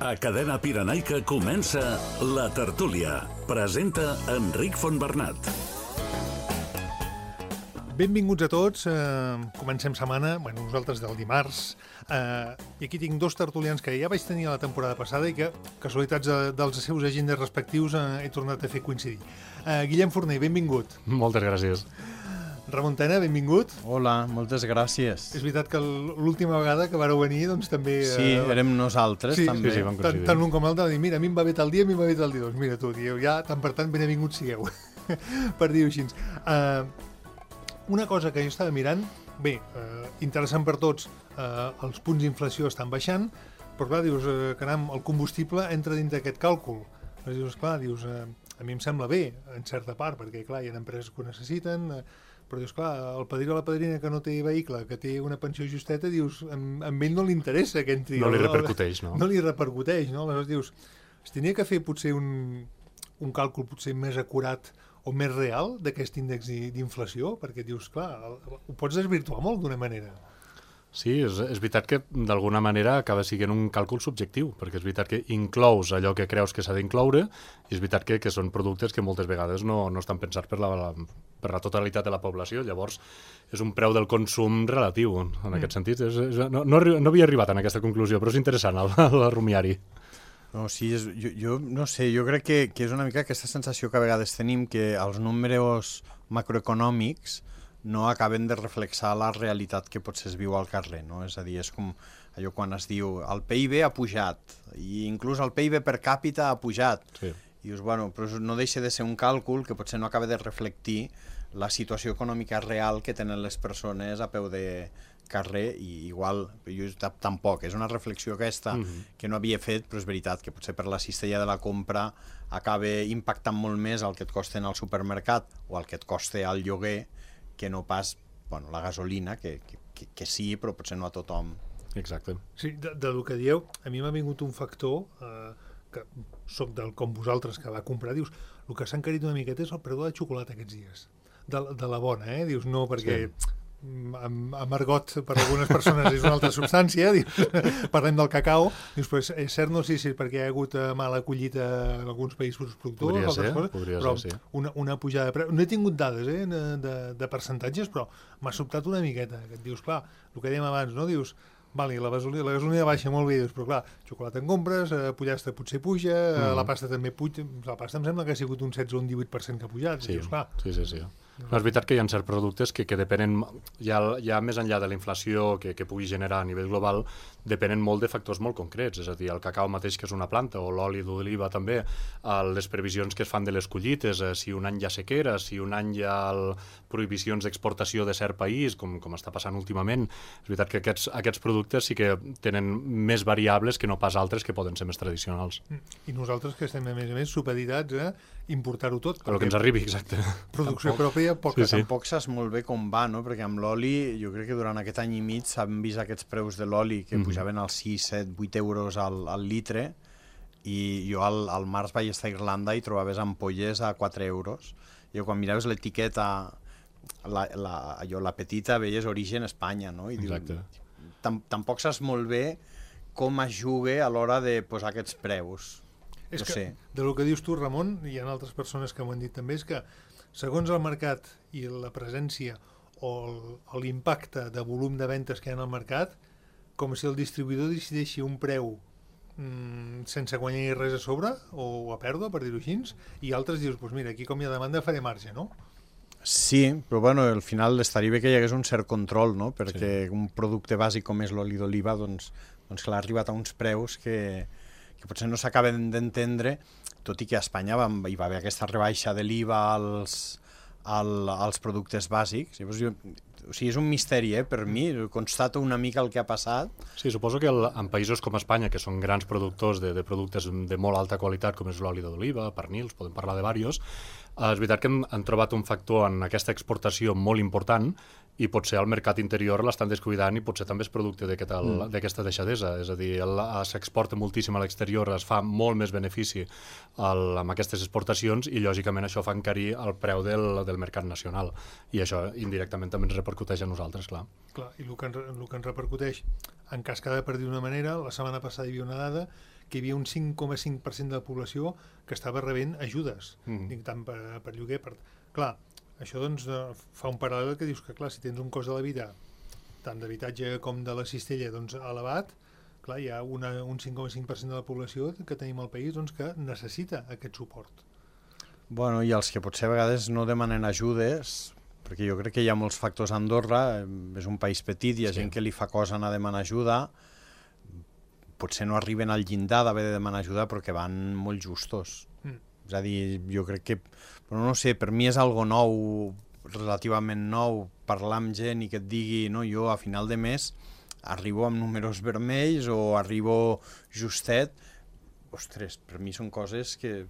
A Cadena Pirenaica comença La Tertúlia. Presenta Enric Fontbernat. Benvinguts a tots. Comencem setmana, nosaltres del dimarts. I aquí tinc dos tertulians que ja vaig tenir la temporada passada i que, casualitats dels seus agendes respectius, he tornat a fer coincidir. Guillem Forner, benvingut. Moltes gràcies. Ramon Tena, benvingut. Hola, moltes gràcies. És veritat que l'última vegada que vareu venir, doncs també... Sí, érem nosaltres, també. Sí, vam coincidir. Tant l'un com l'altre va dir, mira, a mi em va bé tal dia, a mi em va bé tal dia. Doncs mira tu, dieu, ja, tant per tant, benvinguts sigueu, per dir-ho així. Una cosa que jo estava mirant, bé, interessant per tots, els punts d'inflació estan baixant, però clar, dius, caram, el combustible entra dins d'aquest càlcul. Dius, clar, a mi em sembla bé, en certa part, perquè clar, hi ha empreses que ho necessiten, però dius, clar, el padrí o la padrina que no té vehicle, que té una pensió justeta, dius, a ell no li interessa que entri... No li repercuteix, no? No li repercuteix, no? Aleshores dius, es tenia que fer potser un càlcul potser més acurat o més real d'aquest índex d'inflació, perquè dius, clar, ho pots desvirtuar molt d'una manera. Sí, és veritat que d'alguna manera acaba sent un càlcul subjectiu, perquè és veritat que inclous allò que creus que s'ha d'incloure i és veritat que són productes que moltes vegades no estan pensats per la totalitat de la població, llavors és un preu del consum relatiu en aquest sentit. No havia arribat a aquesta conclusió, però és interessant el rumiari. No, sí, jo no sé, jo crec que és una mica aquesta sensació que a vegades tenim que els números macroeconòmics no acaben de reflexar la realitat que potser es viu al carrer, no? És a dir, és com allò quan es diu el PIB ha pujat, i inclús el PIB per càpita ha pujat. Sí. I dius, bueno, però no deixa de ser un càlcul que potser no acaba de reflectir la situació econòmica real que tenen les persones a peu de carrer, i igual, jo tampoc, és una reflexió aquesta que no havia fet, però és veritat que potser per la cistella de la compra acaba impactant molt més el que et costa al supermercat o el que et costa al lloguer que no pas la gasolina, que sí, però potser no a tothom. Exacte. Sí, del que dieu, a mi m'ha vingut un factor, que soc com vosaltres que va comprar, dius, el que s'ha encarit una miqueta és el preu de la xocolata aquests dies, de la bona, dius, no, perquè... Sí. Amargot per algunes persones és una altra substància, parlem del cacau, dius, però és cert, no sé si perquè hi ha hagut mala collita en alguns països productors, podria ser, sí. Una pujada de preu. No he tingut dades de percentatges, però m'ha sobtat una miqueta, que et dius, clar, el que dèiem abans, no? Dius, vale, la gasolina baixa molt bé, dius, però clar, xocolata en compres, pollastre potser puja, la pasta també puja, la pasta em sembla que ha sigut un 16 o un 18% que ha pujat, sí, dius, clar. Sí. No, és veritat que hi ha certs productes que depenen, ja més enllà de la inflació que pugui generar a nivell global, depenen molt de factors molt concrets, és a dir, el cacau mateix que és una planta, o l'oli d'oliva també, les previsions que es fan de les collites, si un any hi ha sequera, si un any hi ha prohibicions d'exportació de cert país, com està passant últimament. És veritat que aquests productes sí que tenen més variables que no pas altres que poden ser més tradicionals. I nosaltres que estem, a més, supeditats a importar-ho tot. El que ens arribi, exacte. Producció pròpia, poca. Sí. Tampoc saps molt bé com va, no? Perquè amb l'oli, jo crec que durant aquest any i mig s'han vist aquests preus de l'oli que pujaven als 6, 7, 8 euros al litre, i jo al març vaig estar a Irlanda i trobaves ampolles a 4 euros. I quan miraves l'etiqueta, la petita, veies origen Espanya, no? I exacte. Tampoc saps molt bé com es juga a l'hora de posar aquests preus. És que, del que dius tu, Ramon, hi ha altres persones que m'ho han dit també, és que segons el mercat i la presència o l'impacte de volum de ventes que hi ha al mercat, com si el distribuïdor decideixi un preu sense guanyar res a sobre o a pèrdua, per dir-ho així, i altres dius, doncs mira, aquí com hi ha demanda faré marge, no? Sí, però bueno, al final estaria bé que hi hagués un cert control, no? Perquè un producte bàsic com és l'oli d'oliva, doncs clar, ha arribat a uns preus que potser no s'acaben d'entendre, tot i que a Espanya hi va haver aquesta rebaixa de l'IVA als productes bàsics. O sigui, és un misteri, per mi, constato una mica el que ha passat. Sí, suposo que en països com Espanya, que són grans productors de productes de molt alta qualitat, com és l'oli d'oliva, pernils, podem parlar de diversos, és veritat que han trobat un factor en aquesta exportació molt important i potser al mercat interior l'estan descuidant i potser també és producte d'aquesta deixadesa. És a dir, s'exporta moltíssim a l'exterior, es fa molt més benefici amb aquestes exportacions i lògicament això fa encarir el preu del mercat nacional i això indirectament també ens repercuteix a nosaltres, clar. Clar, i el que ens repercuteix, en cas que ha de per dir d'una manera, la setmana passada hi havia una dada que hi havia un 5,5% de la població que estava rebent ajudes, dic, tant per lloguer. Clar, això doncs fa un paral·lel que dius que, clar, si tens un cost de la vida, tant d'habitatge com de la cistella, doncs elevat, clar, hi ha un 5,5% de la població que tenim al país doncs, que necessita aquest suport. Bueno, i els que potser a vegades no demanen ajudes, perquè jo crec que hi ha molts factors a Andorra, és un país petit, hi ha gent que li fa cosa anar a demanar ajuda, potser no arriben al llindar d'haver de demanar ajuda però que van molt justos. És a dir, jo crec que, però no sé, per mi és algo nou, relativament nou, parlar amb gent i que et digui, no, jo a final de mes arribo amb números vermells o arribo justet. Ostres, per mi són coses que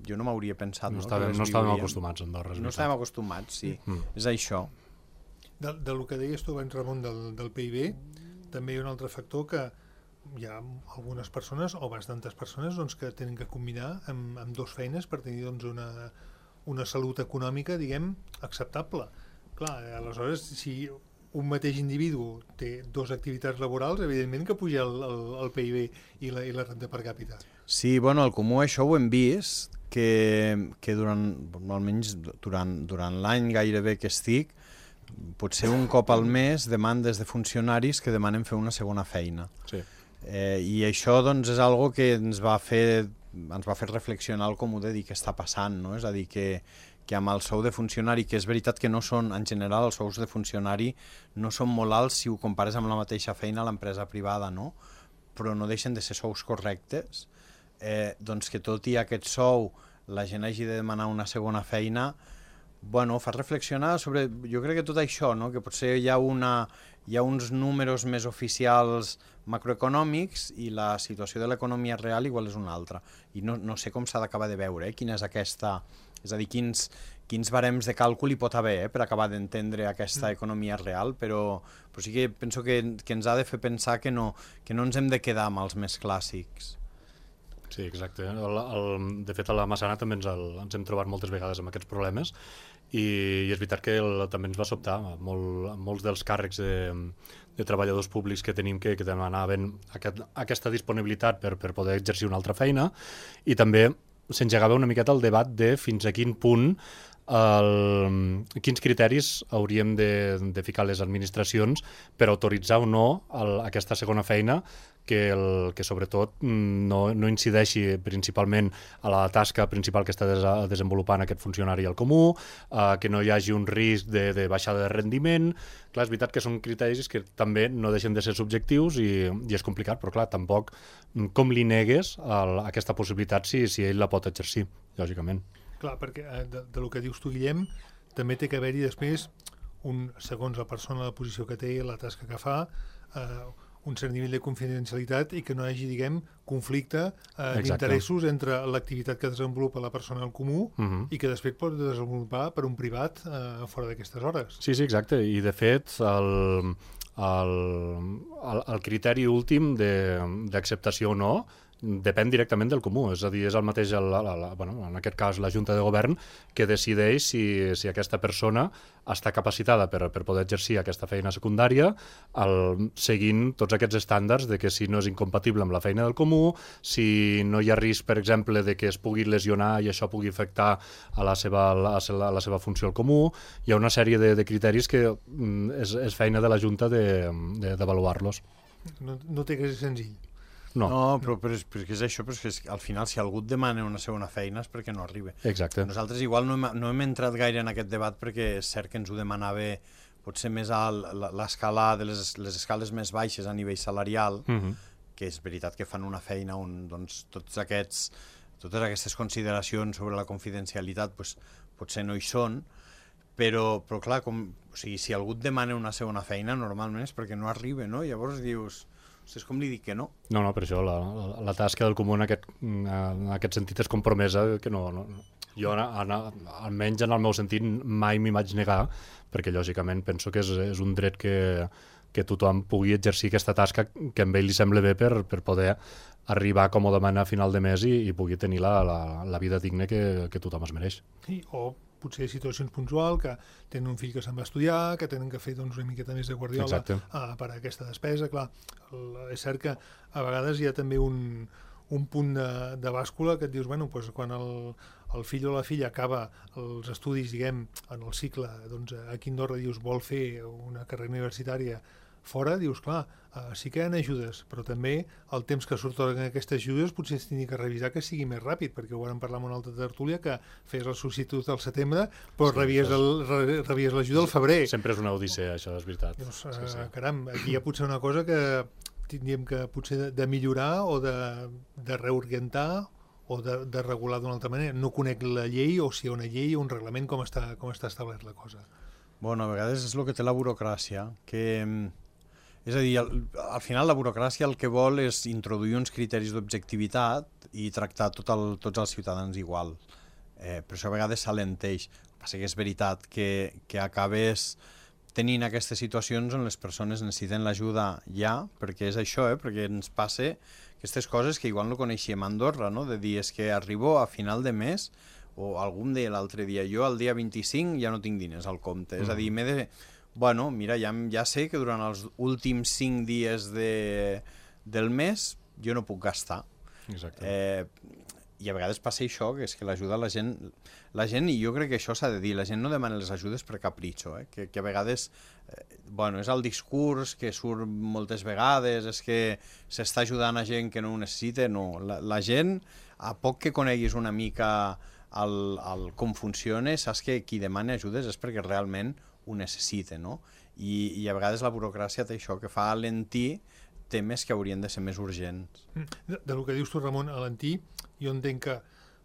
jo no m'hauria pensat. No estàvem acostumats a Andorra. No estàvem acostumats, sí. És això. Del que deies tu abans, Ramon, del PIB, també hi ha un altre factor que hi ha algunes persones, o bastantes persones, doncs, que tenen que combinar amb dues feines per tenir doncs, una salut econòmica, diguem, acceptable. Clar, aleshores, si un mateix individu té dues activitats laborals, evidentment que puja el PIB i la renda per càpita. Sí, bueno, al Comú això ho hem vist, que almenys durant l'any gairebé que estic, potser un cop al mes demandes de funcionaris que demanen fer una segona feina. Sí. I això doncs, és algo que ens va fer reflexionar el Comú de dir què està passant, no? És a dir, que amb el sou de funcionari, que és veritat que no són, en general, els sous de funcionari no són molt alts si ho compares amb la mateixa feina a l'empresa privada, no? Però no deixen de ser sous correctes. Doncs que tot i aquest sou la gent hagi de demanar una segona feina, bueno, fa reflexionar sobre, jo crec que tot això, no? Que potser hi ha uns números més oficials macroeconòmics i la situació de l'economia real igual és una altra. I no sé com s'ha d'acabar de veure, quina és aquesta, és a dir, quins barems de càlcul hi pot haver per acabar d'entendre aquesta economia real, però sí que penso que ens ha de fer pensar que no ens hem de quedar amb els més clàssics. Sí, exacte. De fet, a la Massana també ens hem trobat moltes vegades amb aquests problemes i és veritat que també ens va sobtar molts dels càrrecs de treballadors públics que tenim que demanaven aquesta disponibilitat per poder exercir una altra feina, i també s'engegava una miqueta el debat de fins a quin punt quins criteris hauríem de ficar les administracions per autoritzar o no aquesta segona feina que sobretot no incideixi principalment a la tasca principal que està desenvolupant aquest funcionari al Comú, que no hi hagi un risc de baixada de rendiment. Clar, és veritat que són criteris que també no deixen de ser subjectius i és complicat, però clar, tampoc com li negues aquesta possibilitat si ell la pot exercir, lògicament. Clar, perquè del que dius tu, Guillem, també té que haver-hi després, segons la persona, la posició que té, la tasca que fa, un cert nivell de confidencialitat i que no hi hagi, diguem, conflicte d'interessos entre l'activitat que desenvolupa la persona al Comú i que després pot desenvolupar per un privat fora d'aquestes hores. Sí, exacte. I, de fet, el criteri últim d'acceptació o no depèn directament del Comú, és a dir, és el mateix, en aquest cas, la Junta de Govern, que decideix si aquesta persona està capacitada per poder exercir aquesta feina secundària seguint tots aquests estàndards de que si no és incompatible amb la feina del Comú, si no hi ha risc, per exemple, de que es pugui lesionar i això pugui afectar a la seva funció al Comú. Hi ha una sèrie de criteris que és feina de la Junta d'avaluar-los. No té que ser senzill. No, però és que és això, però és que al final si algú et demana una segona feina és perquè no arriba. Exacte. Nosaltres igual no hem entrat gaire en aquest debat perquè és cert que ens ho demanava potser més a l'escala de les escales més baixes a nivell salarial, que és veritat que fan una feina on doncs, totes aquestes consideracions sobre la confidencialitat potser no hi són, però clar, si algú et demana una segona feina normalment és perquè no arriba, no? Llavors dius... És com li dic que no. No, per això la tasca del Comú en aquest sentit és compromesa, que no. Jo, almenys en el meu sentit, mai m'hi vaig negar, perquè lògicament penso que és un dret que tothom pugui exercir aquesta tasca que a ell li sembla bé per poder arribar còmodament a final de mes i pugui tenir la vida digna que tothom es mereix. Sí, o potser situacions puntuals, que tenen un fill que se'n va estudiar, que tenen que fer doncs, una miqueta més de guardiola per a aquesta despesa. Clar, és cert que a vegades hi ha també un punt de bàscula que et dius, bueno, doncs quan el fill o la filla acaba els estudis, diguem, en el cicle, doncs aquí a Andorra dius, vol fer una carrera universitària fora, dius, clar, sí que hi ha ajudes, però també el temps que s'atorguen aquestes ajudes potser es tingui que revisar que sigui més ràpid, perquè ho vam parlar en una altra tertúlia, que fes el substitut al setembre, però rebies l'ajuda al febrer. Sempre és una odissea, això, és veritat. Doncs, caram, aquí hi ha potser una cosa que tindríem que potser de millorar o de reorientar o de regular d'una altra manera. No conec la llei, o si hi ha una llei o un reglament, com està establert la cosa. Bueno, a vegades és el que té la burocràcia, que... És a dir, al final la burocràcia el que vol és introduir uns criteris d'objectivitat i tractar tots els ciutadans igual. Per això a vegades s'alenteix. El que passa que és veritat que acabes tenint aquestes situacions on les persones necessiten l'ajuda ja, perquè és això, perquè ens passa aquestes coses que igual no coneixíem a Andorra, no? De dir, és que arribo a final de mes, o algú em deia l'altre dia, jo el dia 25 ja no tinc diners al compte, és a dir, m'he de... Bueno, mira, ja sé que durant els últims 5 dies del mes jo no puc gastar. Exacte. I a vegades passa això, que és que l'ajuda la gent, i jo crec que això s'ha de dir, la gent no demana les ajudes per capritxo, que a vegades, bueno, és el discurs que surt moltes vegades, és que s'està ajudant a gent que no ho necessita, no. La gent, a poc que coneguis una mica com funciona, saps que qui demana ajudes és perquè realment ho necessita, no? I a vegades la burocràcia té això, que fa alentir temes que haurien de ser més urgents. Del que dius tu, Ramon, alentir, jo entenc que,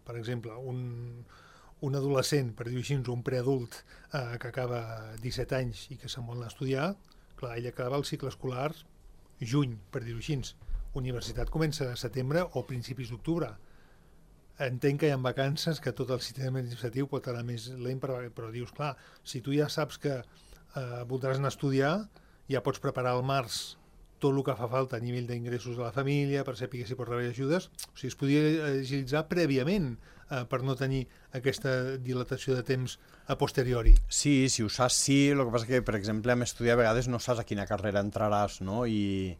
per exemple, un adolescent, per dir-ho així, un preadult que acaba 17 anys i que se'n vol anar a estudiar, clar, ell acaba el cicle escolar juny, per dir-ho així. Universitat comença a setembre o principis d'octubre. Entenc que hi ha vacances, que tot el sistema administratiu pot anar més lent, però dius, clar, si tu ja saps que voldràs anar a estudiar, ja pots preparar al març tot el que fa falta a nivell d'ingressos de la família, per saber si pots rebre ajudes. O sigui, es podria agilitzar prèviament per no tenir aquesta dilatació de temps a posteriori. Sí, si ho saps, sí. El que passa que, per exemple, amb estudiar a vegades no saps a quina carrera entraràs, no? I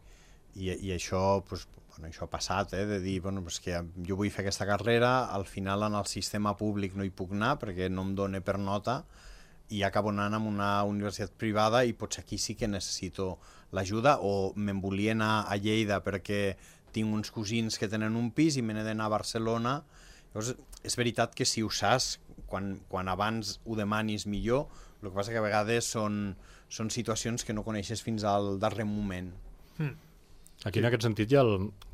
això, doncs, això ha passat, de dir, bueno, pues que jo vull fer aquesta carrera, al final en el sistema públic no hi puc anar perquè no em dona per nota i acabo anant a una universitat privada i potser aquí sí que necessito l'ajuda, o me'n volia anar a Lleida perquè tinc uns cosins que tenen un pis i me n'he d'anar a Barcelona. Llavors, és veritat que si ho saps, quan abans ho demanis millor, el que passa que a vegades són situacions que no coneixes fins al darrer moment. Aquí, en aquest sentit,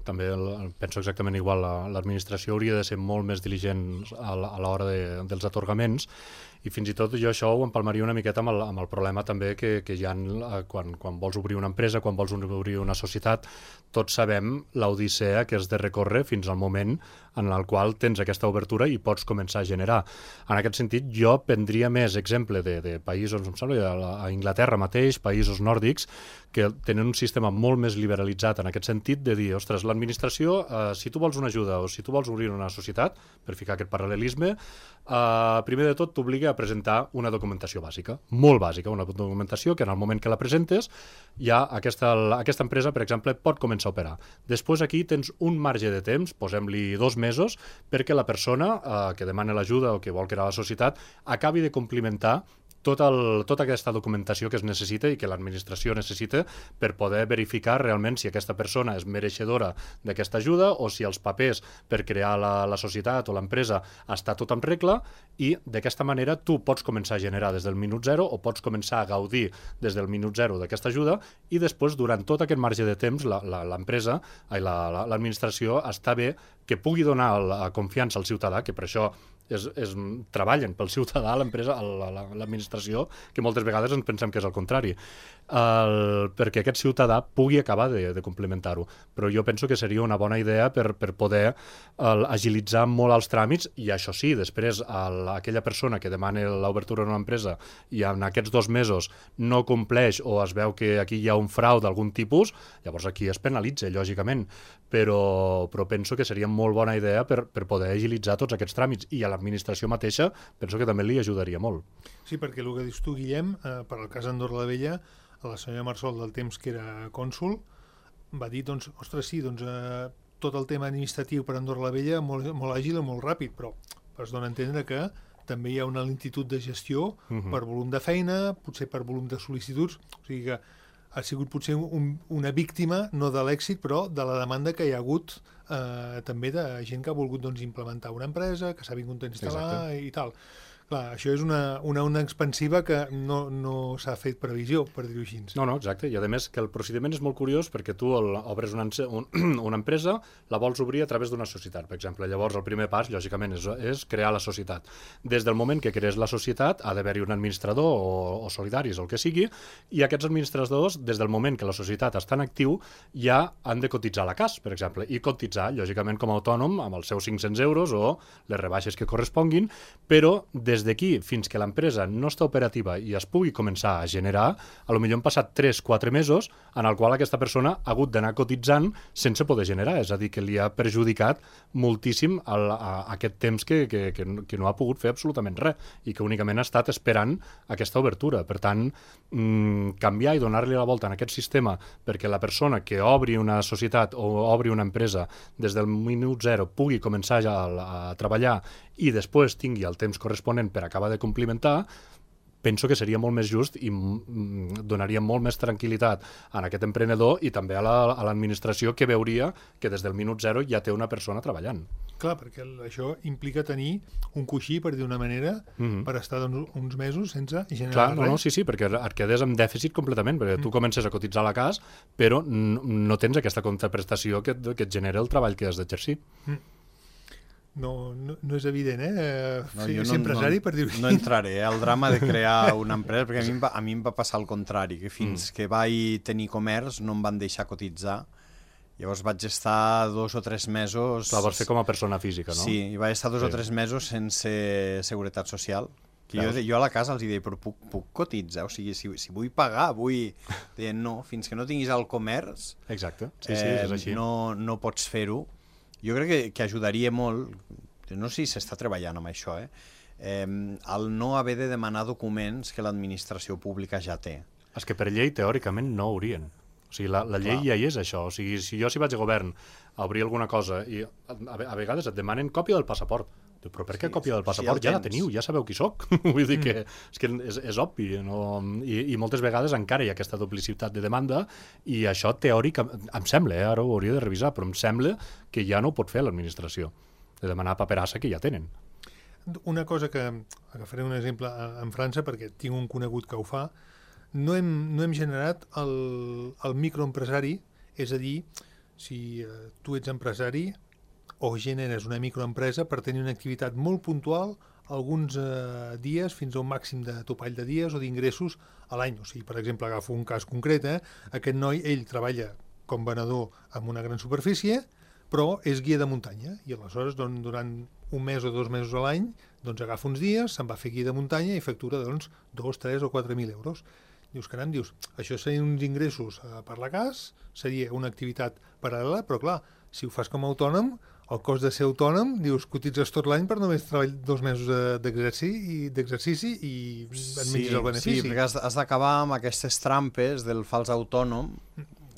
també penso exactament igual, l'administració hauria de ser molt més diligent a l'hora dels atorgaments, i fins i tot jo això ho empalmaria una miqueta amb el problema també que hi ha quan vols obrir una empresa, quan vols obrir una societat. Tots sabem l'odissea que has de recórrer fins al moment en el qual tens aquesta obertura i pots començar a generar. En aquest sentit, jo prendria més exemple de països, em sembla, a Anglaterra mateix, països nòrdics, que tenen un sistema molt més liberalitzat en aquest sentit, de dir, ostres, l'administració, si tu vols una ajuda o si tu vols obrir una societat, per ficar aquest paral·lelisme, primer de tot t'obliga a presentar una documentació bàsica, molt bàsica, una documentació que en el moment que la presentes ja aquesta empresa, per exemple, pot començar a operar. Després aquí tens un marge de temps, posem-li 2 mesos, perquè la persona que demana l'ajuda o que vol crear la societat acabi de complimentar tota aquesta documentació que es necessita i que l'administració necessita per poder verificar realment si aquesta persona és mereixedora d'aquesta ajuda o si els papers per crear la societat o l'empresa està tot en regla, i d'aquesta manera tu pots començar a generar des del minut zero o pots començar a gaudir des del minut zero d'aquesta ajuda, i després, durant tot aquest marge de temps, l'empresa i l'administració està bé que pugui donar la confiança al ciutadà, que per això treballen pel ciutadà, l'empresa, l'administració, que moltes vegades ens pensem que és el contrari, perquè aquest ciutadà pugui acabar de complementar-ho. Però jo penso que seria una bona idea per poder agilitzar molt els tràmits, i això sí, després aquella persona que demana l'obertura d'una empresa i en aquests 2 mesos no compleix o es veu que aquí hi ha un frau d'algun tipus, llavors aquí es penalitza, lògicament, però penso que seria molt bona idea per poder agilitzar tots aquests tràmits, i a l'administració mateixa penso que també li ajudaria molt. Sí, perquè el que dius tu, Guillem, per al cas d'Andorra la Vella, la senyora Marsol, del temps que era cònsul, va dir, doncs, ostres, sí, doncs, tot el tema administratiu per Andorra la Vella molt, molt àgil i molt ràpid, però es dona a entendre que també hi ha una lentitud de gestió per volum de feina, potser per volum de sol·licituds, o sigui que ha sigut potser una víctima, no de l'èxit, però de la demanda que hi ha hagut també de gent que ha volgut doncs, implementar una empresa, que s'ha vingut a instal·lar i tal. Clar, això és una onda expansiva que no s'ha fet previsió, per dir-ho així. No, exacte, i a més que el procediment és molt curiós perquè tu obres una empresa, la vols obrir a través d'una societat, per exemple. Llavors el primer pas, lògicament, és crear la societat. Des del moment que crees la societat ha d'haver-hi un administrador o solidaris o el que sigui, i aquests administradors, des del moment que la societat està en actiu, ja han de cotitzar a la CAS, per exemple, i cotitzar, lògicament, com a autònom amb els seus 500 euros o les rebaixes que corresponguin, però des d'aquí fins que l'empresa no està operativa i es pugui començar a generar, potser han passat 3-4 mesos en el qual aquesta persona ha hagut d'anar cotitzant sense poder generar, és a dir, que li ha perjudicat moltíssim aquest temps que no ha pogut fer absolutament res i que únicament ha estat esperant aquesta obertura. Per tant, canviar i donar-li la volta en aquest sistema perquè la persona que obri una societat o obri una empresa des del minut zero pugui començar ja a treballar i després tingui el temps corresponent per acabar de complementar, penso que seria molt més just i donaria molt més tranquil·litat a aquest emprenedor i també a l'administració que veuria que des del minut zero ja té una persona treballant. Clar, perquè això implica tenir un coixí, per dir una manera, per estar doncs, uns mesos sense generar res. Sí, perquè et quedes amb dèficit completament, perquè tu comences a cotitzar a la CAS, però no tens aquesta contraprestació que et genera el treball que has d'exercir. No és evident, ser empresari, per dir-ho així. No entraré al drama de crear una empresa, perquè a mi em va passar el contrari, que fins que vaig tenir comerç no em van deixar cotitzar. Llavors vaig estar 2 o 3 mesos... La vols fer com a persona física, no? Sí, i vaig estar 2 o 3 mesos sense seguretat social. Que jo a la casa els deia, però puc cotitzar? O sigui, si vull pagar, Deien, no, fins que no tinguis el comerç... Exacte, sí, és així. No pots fer-ho. Jo crec que ajudaria molt, no sé si s'està treballant amb això, el no haver de demanar documents que l'administració pública ja té. És que per llei, teòricament, no haurien. O sigui, la llei ja hi és això. O sigui, si jo vaig a govern a obrir alguna cosa i a vegades et demanen còpia del passaport. Però per què còpia del passaport? Ja la teniu, ja sabeu qui soc. Vull dir que és obvi. I moltes vegades encara hi ha aquesta duplicitat de demanda i això teòricament, em sembla, ara ho hauria de revisar, però em sembla que ja no ho pot fer l'administració, de demanar paperassa que ja tenen. Una cosa que, agafaré un exemple en França, perquè tinc un conegut que ho fa, no hem generat el microempresari, és a dir, si tu ets empresari o generes una microempresa per tenir una activitat molt puntual alguns dies fins a un màxim de topall de dies o d'ingressos a l'any. O sigui, per exemple, agafo un cas concret, aquest noi, ell treballa com venedor amb una gran superfície, però és guia de muntanya i aleshores durant un mes o 2 mesos a l'any agafa uns dies, se'n va fer guia de muntanya i factura 2, 3 o 4.000 euros. Dius, caram, això serien uns ingressos per la CAS, seria una activitat paral·lela, però clar, si ho fas com a autònom, el cost de ser autònom, cotitzes tot l'any per només treballar 2 mesos d'exercici i et menges el benefici. Sí, perquè has d'acabar amb aquestes trampes del fals autònom,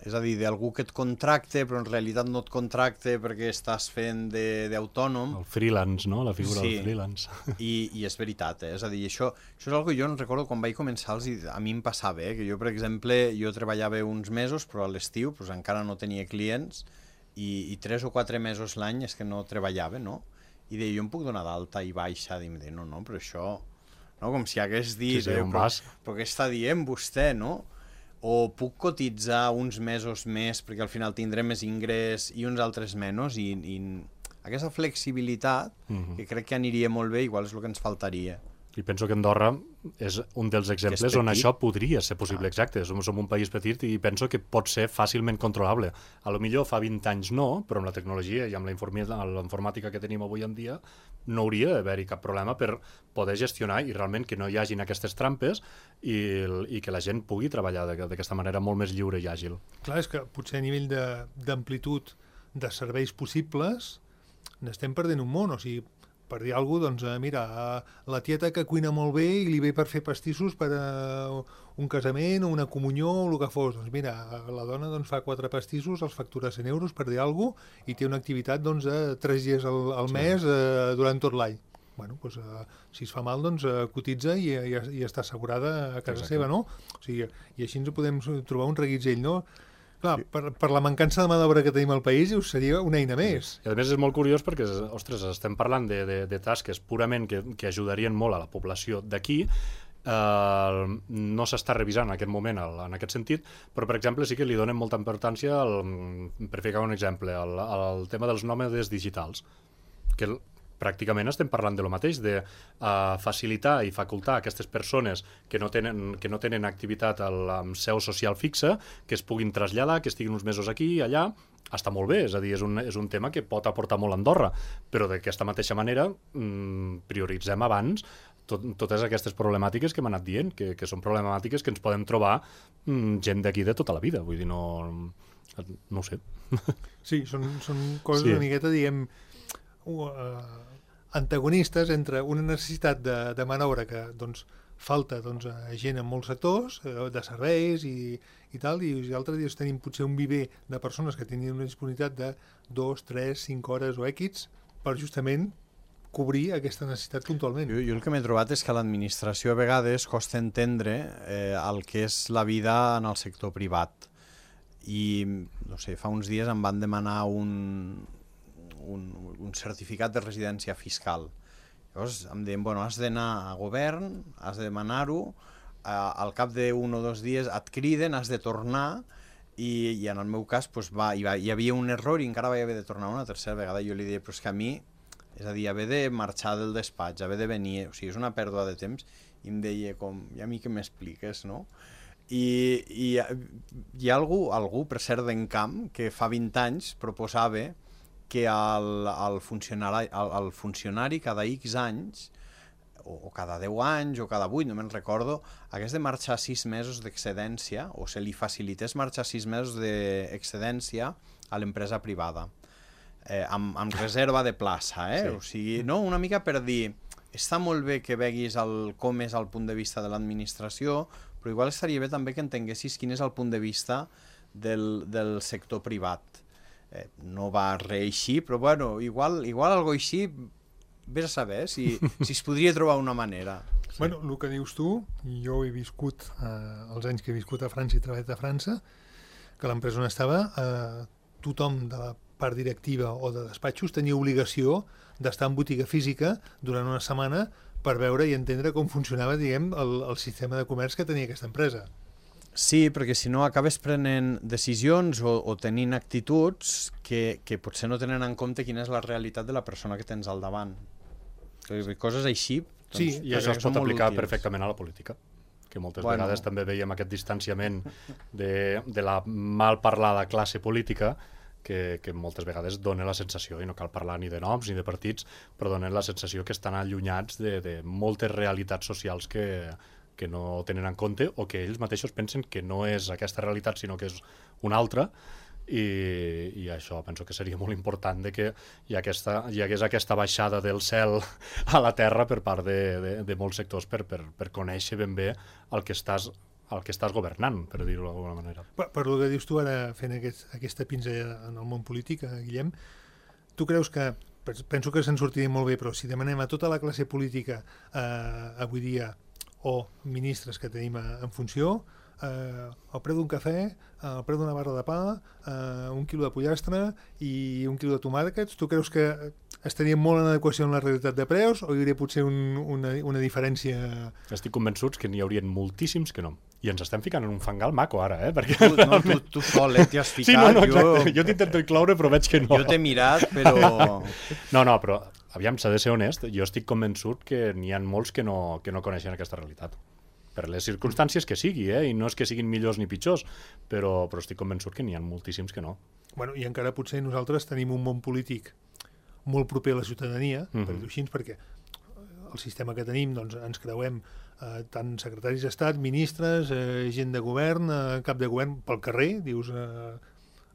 és a dir, d'algú que et contracte, però en realitat no et contracte perquè estàs fent d'autònom. El freelance, no? La figura del freelance. I és veritat, és a dir, això és una cosa que jo no recordo quan vaig començar, a mi em passava, que jo, per exemple, jo treballava uns mesos, però a l'estiu encara no tenia clients, i 3 o 4 mesos l'any és que no treballava, no? I deia, jo em puc donar d'alta i baixa, i em deia, no, però això, no? Com si hagués dit, però què està dient vostè, no? O puc cotitzar uns mesos més perquè al final tindré més ingrés i uns altres menys, i aquesta flexibilitat que crec que aniria molt bé, igual és el que ens faltaria. I penso que Andorra és un dels exemples on això podria ser possible, exacte. Som un país petit i penso que pot ser fàcilment controlable. A lo millor fa 20 anys no, però amb la tecnologia i amb la informàtica que tenim avui en dia no hauria d'haver-hi cap problema per poder gestionar i realment que no hi hagin aquestes trampes i que la gent pugui treballar d'aquesta manera molt més lliure i àgil. Clar, és que potser a nivell d'amplitud de serveis possibles n'estem perdent un món, o sigui, per dir alguna cosa, doncs, mira, la tieta que cuina molt bé i li ve per fer pastissos per a un casament o una comunió o el que fos. Doncs mira, la dona doncs, fa 4 pastissos, els factura 100 euros, per dir alguna cosa, i té una activitat doncs, de 3 dies al mes durant tot l'any. Bueno, doncs, si es fa mal, doncs cotitza i està assegurada a casa seva, no? O sigui, i així ens podem trobar un reguitzell, no? Clar, per la mancança de mà d'obra que tenim al país, seria una eina més. I a més és molt curiós perquè, ostres, estem parlant de tasques purament que ajudarien molt a la població d'aquí, no s'està revisant en aquest moment en aquest sentit, però per exemple sí que li donen molta importància, per ficar un exemple, al tema dels nòmades digitals, que pràcticament estem parlant de lo mateix, de facilitar i facultar a aquestes persones que no tenen activitat amb seu social fixa, que es puguin traslladar, que estiguin uns mesos aquí i allà. Està molt bé, és a dir, és un tema que pot aportar molt a Andorra, però d'aquesta mateixa manera prioritzem abans totes aquestes problemàtiques que hem anat dient, que són problemàtiques que ens podem trobar gent d'aquí de tota la vida, vull dir, no ho sé. Sí, són coses una miqueta, diguem, antagonistes entre una necessitat de mà d'obra que doncs, falta doncs, gent en molts sectors, de serveis i tal, i altres dies tenim potser un viver de persones que tenien una disponibilitat de 2, 3, 5 hores o X per justament cobrir aquesta necessitat puntualment. Jo el que m'he trobat és que a l'administració a vegades costa entendre el que és la vida en el sector privat. I, no sé, fa uns dies em van demanar un certificat de residència fiscal. Llavors em deien, bueno, has d'anar a govern, has de demanar-ho, al cap d'un o 2 dies et criden, has de tornar, i en el meu cas doncs, hi havia un error i encara vaig haver de tornar una tercera vegada. Jo li deia, però és que a mi, és a dir, haver de marxar del despatx, haver de venir, o sigui, és una pèrdua de temps, i em deia, i a mi què m'expliques, no? I hi ha algú, per cert, d'Encamp, que fa 20 anys proposava que el funcionari cada X anys, o cada 10 anys, o cada 8, no me'n recordo, hagués de marxar 6 mesos d'excedència, o se li facilités marxar 6 mesos d'excedència a l'empresa privada, amb reserva de plaça, Sí. O sigui, no? Una mica per dir, està molt bé que veguis com és el punt de vista de l'administració, però igual estaria bé també que entenguessis quin és el punt de vista del sector privat. No va reeixir, però bueno, igual algo així, vés a saber si es podria trobar una manera. Sí. Bueno, el que dius tu, jo he viscut, els anys que he viscut a França i treballat a França, que l'empresa on estava, tothom de la part directiva o de despatxos tenia obligació d'estar en botiga física durant una setmana per veure i entendre com funcionava, diguem, el sistema de comerç que tenia aquesta empresa. Sí, perquè si no acabes prenent decisions o tenint actituds que potser no tenen en compte quina és la realitat de la persona que tens al davant. Coses així... Doncs, sí, i això es pot aplicar perfectament a la política, que moltes vegades també veiem aquest distanciament de la mal parlada classe política que moltes vegades dona la sensació, i no cal parlar ni de noms ni de partits, però donen la sensació que estan allunyats de moltes realitats socials que no tenen en compte o que ells mateixos pensen que no és aquesta realitat sinó que és una altra, i això penso que seria molt important de que hi hagués aquesta baixada del cel a la terra per part de molts sectors per conèixer ben bé el que estàs governant, per dir-ho d'alguna manera. Per el que dius tu ara, fent aquesta pinzellada en el món polític, Guillem, tu creus que, penso que se'n sortiria molt bé, però si demanem a tota la classe política avui dia o ministres que tenim en funció, el preu d'un cafè, el preu d'una barra de pa, 1 quilo de pollastre i 1 quilo de tomàquets, tu creus que estaria molt en adequació amb la realitat de preus o hi hauria potser una diferència? Estic convençuts que n'hi haurien moltíssims que no. I ens estem ficant en un fangal maco ara, perquè... Tu sol, t'hi has ficat. Sí, no, exacte. Jo t'intento incloure, però veig que no. Jo t'he mirat, però... No, però, aviam, s'ha de ser honest, jo estic convençut que n'hi ha molts que no coneixen aquesta realitat. Per les circumstàncies que sigui, i no és que siguin millors ni pitjors, però estic convençut que n'hi ha moltíssims que no. Bueno, i encara potser nosaltres tenim un món polític molt proper a la ciutadania, per dir-ho així, perquè el sistema que tenim, doncs, ens creuem tant secretaris d'Estat, ministres, gent de govern, cap de govern pel carrer, dius,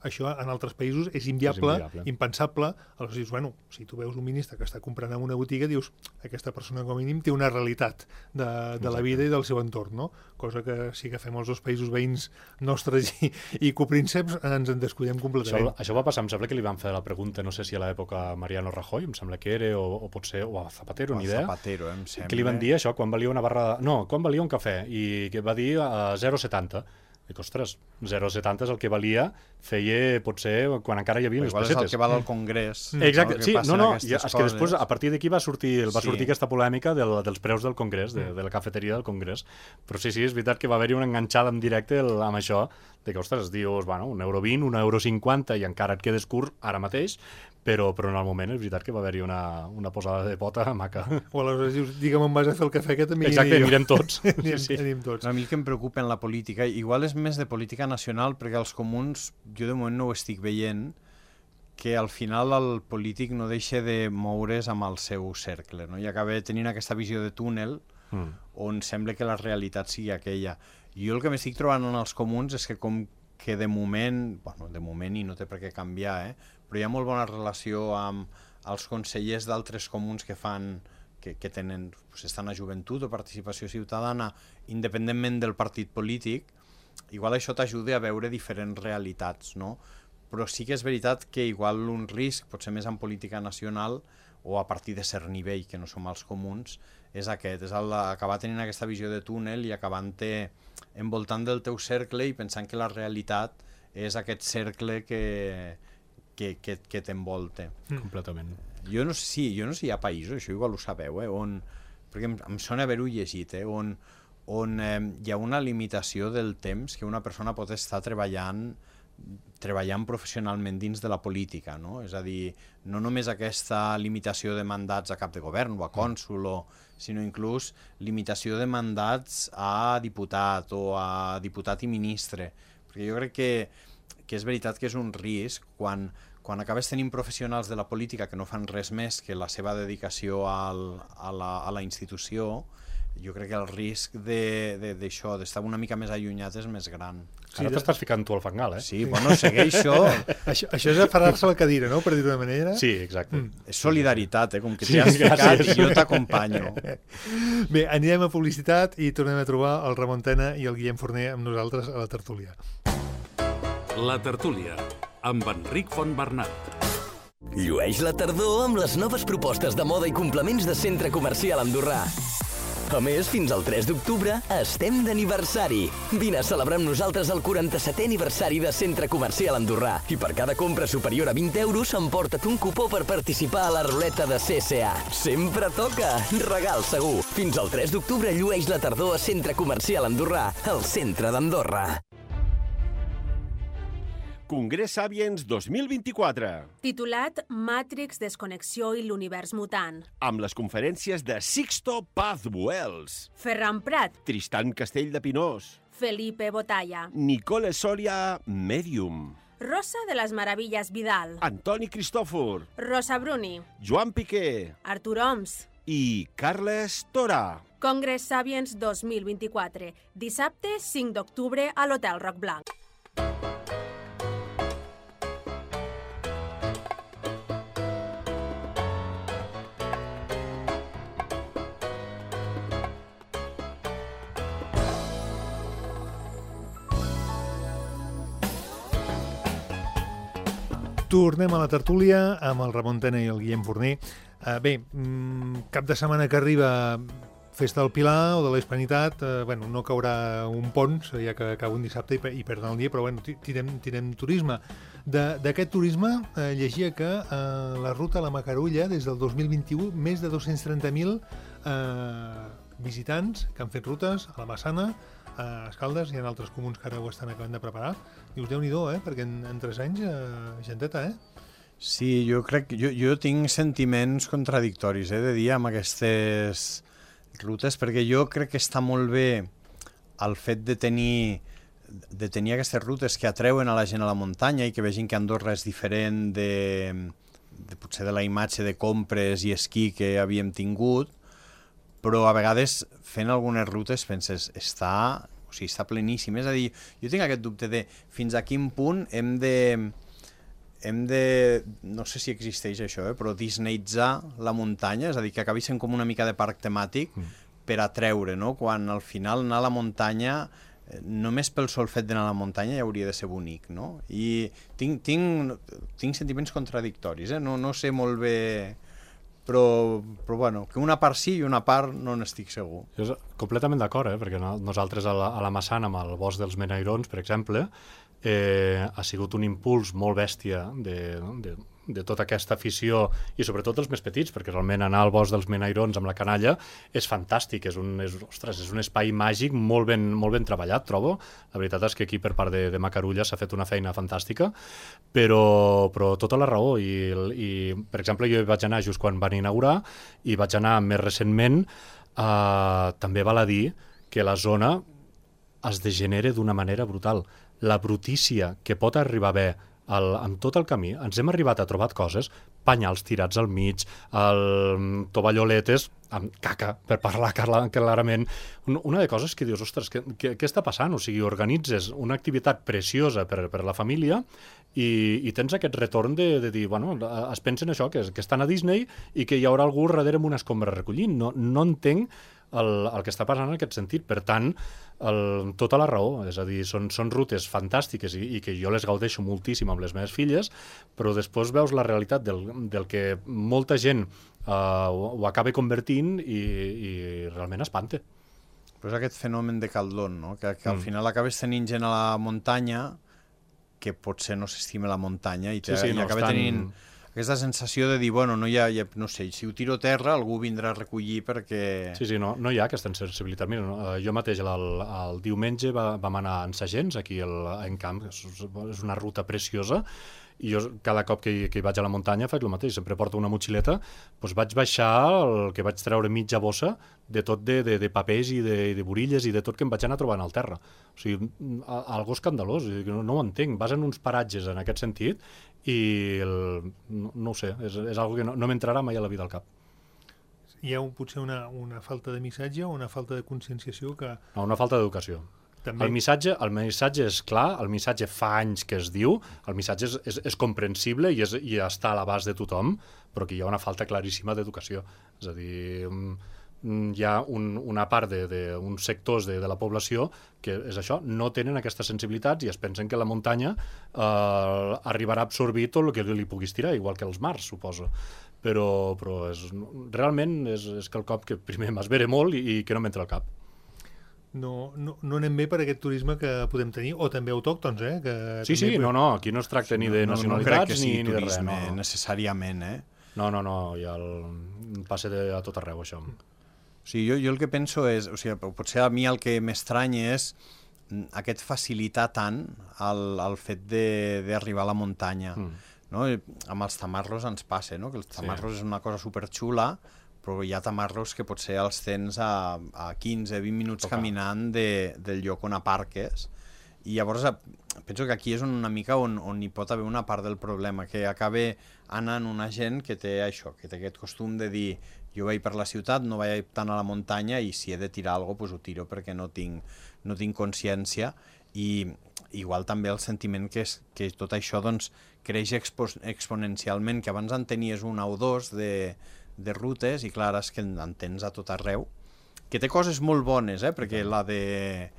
això en altres països és inviable, impensable. Aleshores dius, bueno, si tu veus un ministre que està comprant en una botiga, dius, aquesta persona com a mínim té una realitat de la vida i del seu entorn, no? Cosa que si agafem els dos països veïns nostres i coprínceps ens en descuidem completament. Això va passar, em sembla que li van fer la pregunta, no sé si a l'època Mariano Rajoy, em sembla que era, o potser, o a Zapatero, ni idea. Zapatero, em sembla. Que li van dir això, quan valia una barra... No, quan valia un cafè, i que va dir 0,70. Dic, ostres, 0,70 és el que valia, feia, potser, quan encara hi havia les pessetes. Igual és el que val al Congrés. Exacte, sí, és que després, a partir d'aquí va sortir aquesta polèmica dels preus del Congrés, de la cafeteria del Congrés. Però sí, és veritat que va haver-hi una enganxada en directe amb això, de que, ostres, dius, bueno, €1,20, €1,50, i encara et quedes curt ara mateix, però en el moment és veritat que va haver-hi una posada de pota maca. O aleshores dius, digue'm on vas a fer el cafè, que també exacte, anirem tots. Anirem tots. A mi el que em preocupa en la política, igual és més de política nacional, perquè els comuns, jo de moment no ho estic veient, que al final el polític no deixa de moure's amb el seu cercle, no? I acaba tenint aquesta visió de túnel on sembla que la realitat sigui aquella. Jo el que m'estic trobant en els comuns és que com que de moment i no té per què canviar, però hi ha molt bona relació amb els consellers d'altres comuns que fan que estan a joventut o participació ciutadana, independentment del partit polític. Igual això t'ajuda a veure diferents realitats, no? Però sí que és veritat que igual un risc, potser més en política nacional o a partir de cert nivell, que no som els comuns, és aquest, és acabar tenint aquesta visió de túnel i acabant-te envoltant del teu cercle i pensant que la realitat és aquest cercle que t'envolta. Completament. Jo no sé si hi ha països, això igual ho sabeu, perquè em sona haver-ho llegit, on hi ha una limitació del temps que una persona pot estar treballant professionalment dins de la política, no? És a dir, no només aquesta limitació de mandats a cap de govern o a cònsol, sinó inclús limitació de mandats a diputat o a diputat i ministre. Perquè jo crec que és veritat que és un risc quan acabes tenint professionals de la política que no fan res més que la seva dedicació a la institució. Jo crec que el risc d'això, d'estar una mica més allunyat, és més gran. Ara t'estàs ficant tu al fangal, Sí, bueno, segueixo. Això és aferrar-se a la cadira, no?, per dir-ho d'una manera. Sí, exacte. És solidaritat, com que t'hi has ficat i jo t'acompanyo. Bé, anirem a publicitat i tornem a trobar el Ramon Tena i el Guillem Forner amb nosaltres a la tertúlia. La tertúlia, amb Enric Fontbernat. Llueix la tardor amb les noves propostes de moda i complements de Centre Comercial Andorrà. A més, fins al 3 d'octubre estem d'aniversari. Vine a celebrar amb nosaltres el 47è aniversari de Centre Comercial Andorrà. I per cada compra superior a 20 euros emporta't un cupó per participar a la ruleta de CSA. Sempre toca! Regal segur! Fins al 3 d'octubre llueix la tardor a Centre Comercial Andorrà, al centre d'Andorra. Congrés Sapiens 2024. Titulat Matrix, Desconnexió i l'univers mutant. Amb les conferències de Sixto Paz Buells, Ferran Prat, Tristan Castell de Pinós, Felipe Botalla, Nicole Soria, Medium, Rosa de les Meravilles Vidal, Antoni Cristòfor, Rosa Bruni, Joan Piqué Artur Oms. i Carles Tora. Congrés Sapiens 2024. Dissabte 5 d'octubre a l'Hotel Roc Blanc. Tornem a la tertúlia amb el Ramon Tena i el Guillem Forner. Bé, cap de setmana que arriba Festa del Pilar o de la Hispanitat, no caurà un pont, ja que acaba un dissabte i perdem el dia, però tirem turisme. D'aquest turisme llegia que la ruta a la Macarulla, des del 2021, més de 230.000 visitants que han fet rutes a la Massana, a Escaldes, hi ha altres comuns que ara ho estan acabant de preparar. Dius, Déu-n'hi-do, perquè en 3 anys, genteta, Sí, jo tinc sentiments contradictoris, de dir, amb aquestes rutes, perquè jo crec que està molt bé el fet de tenir aquestes rutes que atreuen a la gent a la muntanya i que vegin que Andorra és diferent potser de la imatge de compres i esquí que havíem tingut, però a vegades fent algunes rutes penses, o sigui, està pleníssim. És a dir, jo tinc aquest dubte de fins a quin punt hem de, no sé si existeix això, però disneyitzar la muntanya, és a dir, que acabi sent com una mica de parc temàtic per atreure, no? Quan al final anar a la muntanya, només pel sol fet d'anar a la muntanya ja hauria de ser bonic, no? I tinc sentiments contradictoris, no sé molt bé, però bueno, que una part sí i una part no n'estic segur. Jo completament d'acord, perquè nosaltres a la Massana, amb el bosc dels Menairons, per exemple, ha sigut un impuls molt bèstia de tota aquesta afició, i sobretot els més petits, perquè realment anar al bosc dels Menairons amb la canalla és fantàstic, és un espai màgic molt ben treballat, trobo. La veritat és que aquí per part de Macarulla s'ha fet una feina fantàstica, però tota la raó, i per exemple jo vaig anar just quan van inaugurar, i vaig anar més recentment, també val a dir que la zona es degenera d'una manera brutal. La brutícia que pot arribar a haver amb tot el camí, ens hem arribat a trobar coses, penyals tirats al mig, tovalloletes amb caca, per parlar clarament. Una de coses que dius, ostres, què està passant? O sigui, organitzes una activitat preciosa per la família i tens aquest retorn de dir, bueno, es pensen això, que estan a Disney i que hi haurà algú darrere amb una escombra recollint. No entenc el que està passant en aquest sentit. Per tant, tota la raó, és a dir, són rutes fantàstiques i que jo les gaudeixo moltíssim amb les meves filles, però després veus la realitat del que molta gent ho acaba convertint i realment espanta. Però és aquest fenomen de Caldón, no? Que al final acabes tenint gent a la muntanya que potser no s'estima la muntanya i acaba tenint aquesta sensació de dir, bueno, no sé, si ho tiro a terra algú vindrà a recollir perquè... Sí, no hi ha aquesta sensibilitat. Mira, jo mateix el diumenge vam anar a Sagents, aquí en Camp, és una ruta preciosa, i jo cada cop que hi vaig a la muntanya faig el mateix, sempre porto una motxileta, doncs vaig baixar el que vaig treure mitja bossa de tot de papers i de borilles i de tot que em vaig anar trobant al terra. O sigui, algo escandalós, no ho entenc. Vas en uns paratges en aquest sentit i no ho sé, és algo que no m'entrarà mai a la vida al cap. Hi ha potser una falta de missatge o una falta de conscienciació que... No, una falta d'educació. També... El missatge és clar, el missatge fa anys que es diu, el missatge és comprensible i està a l'abast de tothom, però que hi ha una falta claríssima d'educació. És a dir, hi ha una part d'uns sectors de la població que és això, no tenen aquestes sensibilitats i es pensen que la muntanya arribarà a absorbir tot el que li puguis tirar, igual que els mars, suposo. Però realment és quelcom que primer m'esvera molt i que no m'entra al cap. No anem bé per aquest turisme que podem tenir, o també autòctons, que Sí, aquí no es tracta ni de nacionalitats ni de res. No, necessàriament, No, ja el passe a tot arreu, això. O sigui, jo el que penso és, o sigui, potser a mi el que m'estranya és aquest facilitar tant el fet d'arribar a la muntanya. No? Amb els tamarros ens passa, no? Que els tamarros és una cosa superxula, però hi ha tamarros que potser els tens a 15-20 minuts caminant del lloc on aparques, i llavors penso que aquí és una mica on hi pot haver una part del problema, que acaba anant una gent que té això, que té aquest costum de dir jo vaig per la ciutat, no vaig tant a la muntanya i si he de tirar alguna cosa, doncs ho tiro perquè no tinc consciència, i igual també el sentiment que tot això doncs, creix exponencialment, que abans en tenies una o dos de rutes, i clar, és que en tens a tot arreu, que té coses molt bones, perquè la que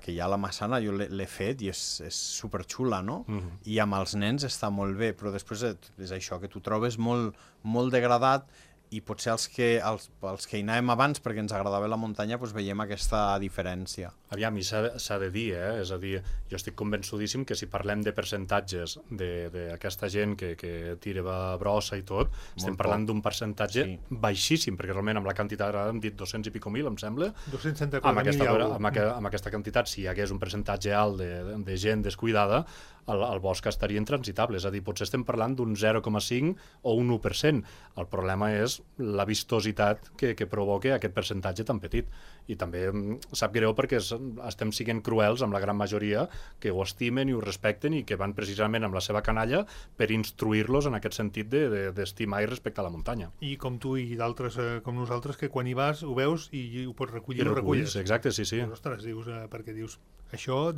hi ha a la Massana jo l'he fet i és superxula, no? I amb els nens està molt bé, però després és això, que t'ho trobes molt degradat, i potser els que hi anàvem abans perquè ens agradava la muntanya doncs veiem aquesta diferència. Aviam, i s'ha de dir, és a dir, jo estic convençudíssim que si parlem de percentatges d'aquesta gent que tira brossa i tot, estem parlant d'un percentatge baixíssim, perquè realment amb la quantitat, ara hem dit 200 i pico mil, em sembla. 274.000 amb aquesta quantitat, si hi hagués un percentatge alt de gent descuidada, el bosc estaria intransitable, és a dir, potser estem parlant d'un 0,5 o un 1%. El problema és la vistositat que provoca aquest percentatge tan petit. I també sap greu perquè estem siguent cruels amb la gran majoria que ho estimen i ho respecten i que van precisament amb la seva canalla per instruir-los en aquest sentit d'estimar i respectar la muntanya. I com tu i d'altres com nosaltres, que quan hi vas ho veus i ho pots recollir, I ho reculles. Exacte, sí. Dius, ostres, perquè dius, això,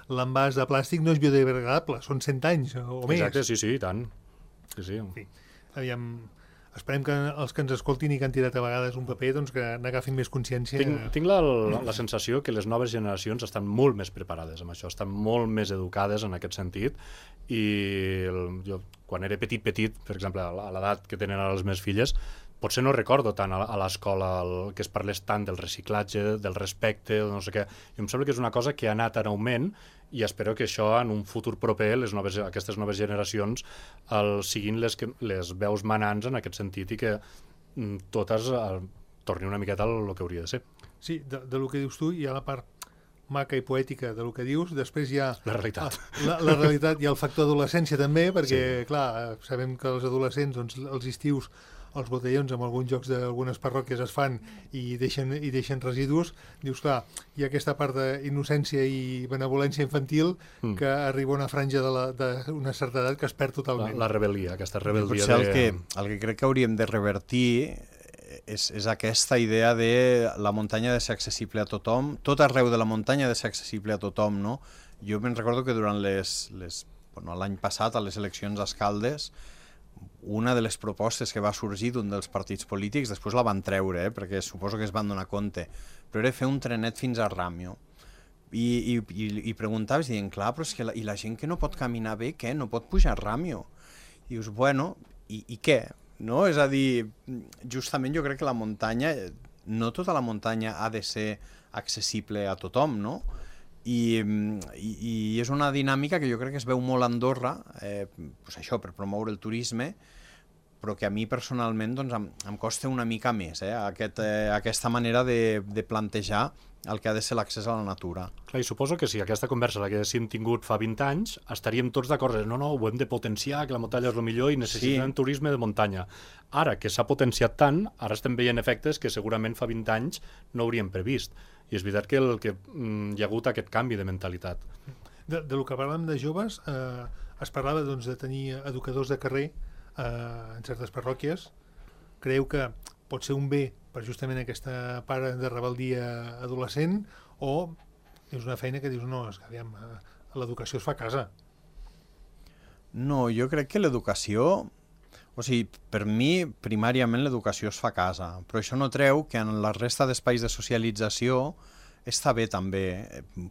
l'envàs de plàstic no és biodegradable, són 100 anys o més. Exacte, sí, i tant. Sí. Sí. Aviam, esperem que els que ens escoltin i que han tirat a vegades un paper doncs que n'agafin més consciència. Tinc la sensació que les noves generacions estan molt més preparades amb això, estan molt més educades en aquest sentit i jo quan era petit, per exemple, a l'edat que tenen ara les meves filles, potser no recordo tant a l'escola que es parlés tant del reciclatge, del respecte, no sé què. I em sembla que és una cosa que ha anat en augment i espero que això en un futur proper, aquestes noves generacions, siguin les veus manants en aquest sentit i que totes tornin una miqueta al que hauria de ser. Sí, del que dius tu hi ha la part maca i poètica del que dius, després hi ha la realitat. La realitat i el factor adolescència també, perquè, clar, sabem que els adolescents, doncs, els estius, els botellons amb alguns jocs d'algunes parròquies es fan i deixen residus, dius, clar, hi ha aquesta part d'innocència i benevolència infantil que arriba a una franja d'una certa edat que es perd totalment. La rebel·lia, aquesta rebel·lia. Potser el que crec que hauríem de revertir és aquesta idea de la muntanya ha de ser accessible a tothom, tot arreu de la muntanya ha de ser accessible a tothom, no? Jo me'n recordo que durant l'any passat, a les eleccions a Escaldes, una de les propostes que va sorgir d'un dels partits polítics, després la van treure, perquè suposo que es van donar compte, però era fer un trenet fins a Ràmio. I preguntaves, dient, clar, però és que la gent que no pot caminar bé, què? No pot pujar a Ràmio. I dius, bueno, i què? No? És a dir, justament jo crec que la muntanya, no tota la muntanya ha de ser accessible a tothom, no? I és una dinàmica que jo crec que es veu molt a Andorra, pues això, per promoure el turisme, però que a mi personalment doncs, em costa una mica més, aquesta manera de plantejar el que ha de ser l'accés a la natura. Clar, i suposo que si aquesta conversa l'haguéssim tingut fa 20 anys, estaríem tots d'acord, no, ho hem de potenciar, que la muntanya és el millor i necessitem turisme de muntanya. Ara que s'ha potenciat tant, ara estem veient efectes que segurament fa 20 anys no hauríem previst. I és veritat que hi ha hagut aquest canvi de mentalitat. Del que parlàvem de joves, es parlava doncs, de tenir educadors de carrer en certes parròquies. Creieu que pot ser un bé per justament aquesta part de rebel·lia adolescent o és una feina que dius, no, és que aviam, l'educació es fa a casa? No, jo crec que l'educació... O sigui, per mi, primàriament l'educació es fa a casa, però això no treu que en la resta d'espais de socialització està bé també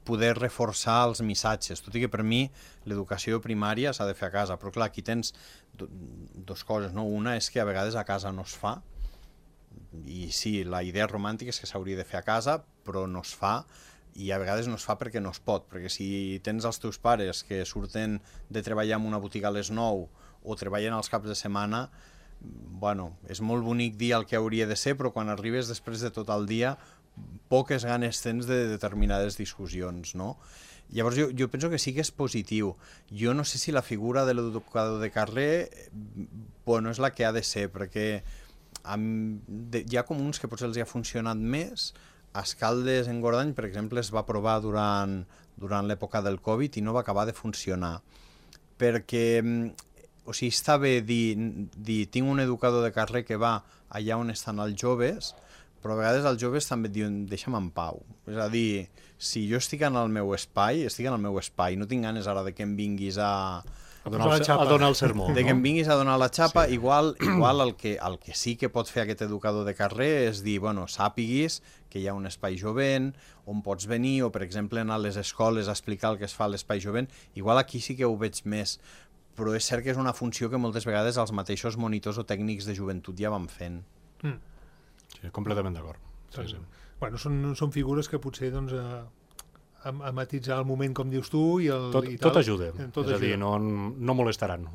poder reforçar els missatges, tot i que per mi l'educació primària s'ha de fer a casa, però clar, aquí tens dues coses, no? Una és que a vegades a casa no es fa, i sí, la idea romàntica és que s'hauria de fer a casa, però no es fa, i a vegades no es fa perquè no es pot, perquè si tens els teus pares que surten de treballar en una botiga a les 9 o treballen els caps de setmana, bueno, és molt bonic dir el que hauria de ser, però quan arribes després de tot el dia, poques ganes tens de determinades discussions, no? Llavors jo penso que sí que és positiu. Jo no sé si la figura de l'educador de carrer bueno, és la que ha de ser, perquè hi ha comuns que potser els ha funcionat més. A Escaldes, en Gordany, per exemple, es va provar durant l'època del Covid i no va acabar de funcionar. Perquè, o sigui, està bé dir tinc un educador de carrer que va allà on estan els joves, però a vegades els joves també et diuen deixa'm en pau. És a dir, si jo estic en el meu espai, no tinc ganes ara de que em vinguis a donar el sermó. De que em vinguis a donar la xapa, sí. Igual el que sí que pot fer aquest educador de carrer és dir, bueno, sàpiguis que hi ha un espai jovent, on pots venir, o per exemple anar a les escoles a explicar el que es fa a l'espai jovent. Igual aquí sí que ho veig més, però és cert que és una funció que moltes vegades els mateixos monitors o tècnics de joventut ja van fent. Sí, completament d'acord. Sí. Bueno, són figures que potser doncs, a matitzar el moment, com dius tu, i tot ajuda. És a dir, no molestaran,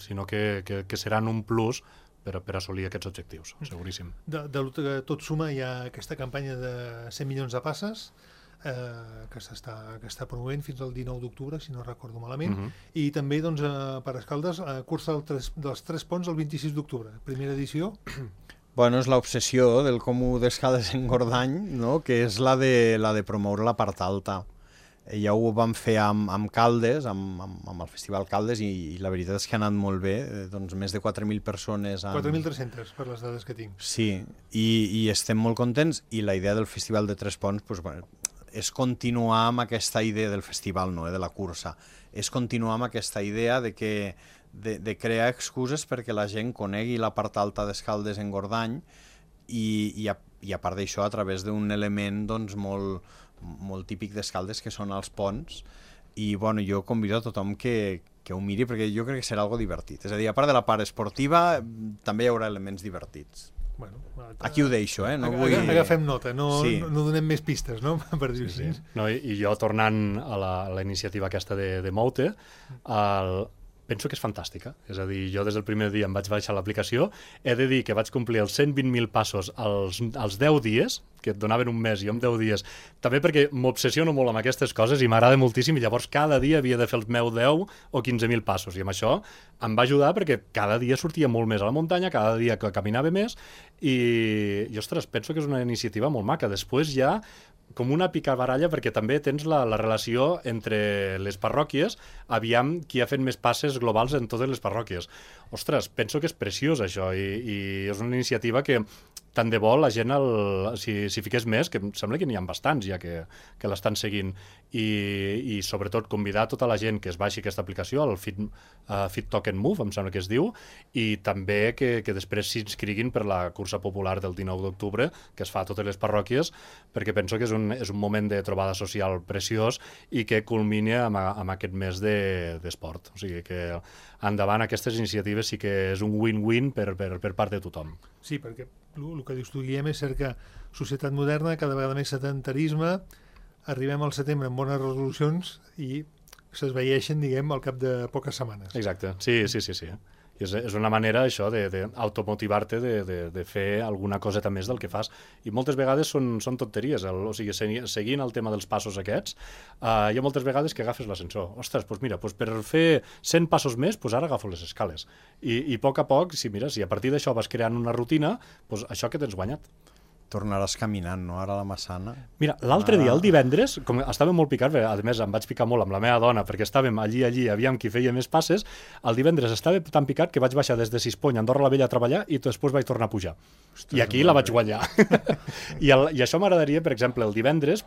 sinó que seran un plus per assolir aquests objectius, seguríssim. De tot suma, hi ha aquesta campanya de 100 milions de passes. que està promovent fins al 19 d'octubre, si no recordo malament, i també doncs, per Escaldes, cursa dels 3 ponts el 26 d'octubre, primera edició. Bueno, és l'obsessió del Comú d'Escaldes en Gordany, no? Que és la de promoure la part alta. Ja ho vam fer amb Caldes, amb el Festival Caldes, i la veritat és que ha anat molt bé, doncs més de 4.000 persones. 4.300, per les dades que tinc. Sí, i estem molt contents, i la idea del Festival de Tres Ponts doncs, bueno, és continuar amb aquesta idea del festival, no, de la cursa, és continuar amb aquesta idea de crear excuses perquè la gent conegui la part alta d'Escaldes en Gordany i a part d'això a través d'un element doncs, molt típic d'Escaldes que són els ponts, i bueno, jo convido a tothom que ho miri perquè jo crec que serà algo divertit, és a dir, a part de la part esportiva també hi haurà elements divertits. Bueno, aquí ho deixo, no vull... Agafem nota, no donem més pistes, no? Per dir-ho així. No, i jo, tornant a la iniciativa aquesta de Moute, penso que és fantàstica. És a dir, jo des del primer dia em vaig baixar l'aplicació, he de dir que vaig complir els 120.000 passos als 10 dies, que et donaven un mes, jo en 10 dies, també perquè m'obsessiono molt amb aquestes coses i m'agrada moltíssim, i llavors cada dia havia de fer els meus 10 o 15.000 passos, i amb això em va ajudar perquè cada dia sortia molt més a la muntanya, cada dia caminava més, i ostres, penso que és una iniciativa molt maca. Després ja com una picabaralla, perquè també tens la relació entre les parròquies, aviam qui ha fet més passes globals en totes les parròquies. Ostres, penso que és preciós això, i és una iniciativa que tant de bo la gent, si fiqués més, que em sembla que n'hi ha bastants ja que l'estan seguint, i sobretot convidar tota la gent que es baixi aquesta aplicació, el Fit Token Move, em sembla que es diu, i també que després s'inscriguin per la cursa popular del 19 d'octubre, que es fa a totes les parròquies, perquè penso que és un moment de trobada social preciós i que culmina amb aquest mes d'esport. O sigui que endavant aquestes iniciatives sí que és un win-win per part de tothom. Sí, perquè el que dius tu, Guillem, és cert que societat moderna, cada vegada més sedentarisme, arribem al setembre amb bones resolucions i s'esveieixen, diguem, al cap de poques setmanes. Exacte, sí. És una manera, això, d'automotivar-te de fer alguna coseta més del que fas. I moltes vegades són tonteries. O sigui, seguint el tema dels passos aquests, hi ha moltes vegades que agafes l'ascensor. Ostres, doncs mira, per fer 100 passos més, ara agafo les escales. I a poc, si a partir d'això vas creant una rutina, això que tens guanyat. Tornaràs caminant, no? Ara a la Massana. Mira, l'altre dia, el divendres, com estàvem molt picats, a més em vaig picar molt amb la meva dona perquè estàvem allí, aviam qui feia més passes, el divendres estava tan picat que vaig baixar des de Sispony a Andorra la Vella a treballar i després vaig tornar a pujar. Ostres, i aquí la vaig guanyar. I això m'agradaria, per exemple, el divendres,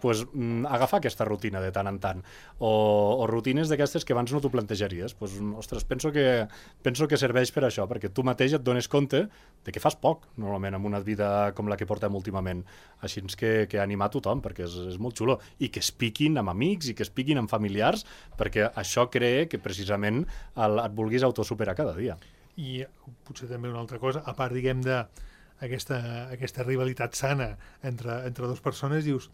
agafar aquesta rutina de tant en tant. O rutines d'aquestes que abans no t'ho plantejaries. Ostres, penso que serveix per això, perquè tu mateix et dones compte de que fas poc, normalment, amb una vida com la que portem últimament. Així que animar tothom, perquè és molt xulo, i que es piquin amb amics i que es piquin amb familiars, perquè això crea que precisament et vulguis autosuperar cada dia. I potser també una altra cosa, a part, diguem, d'aquesta rivalitat sana entre dues persones, dius,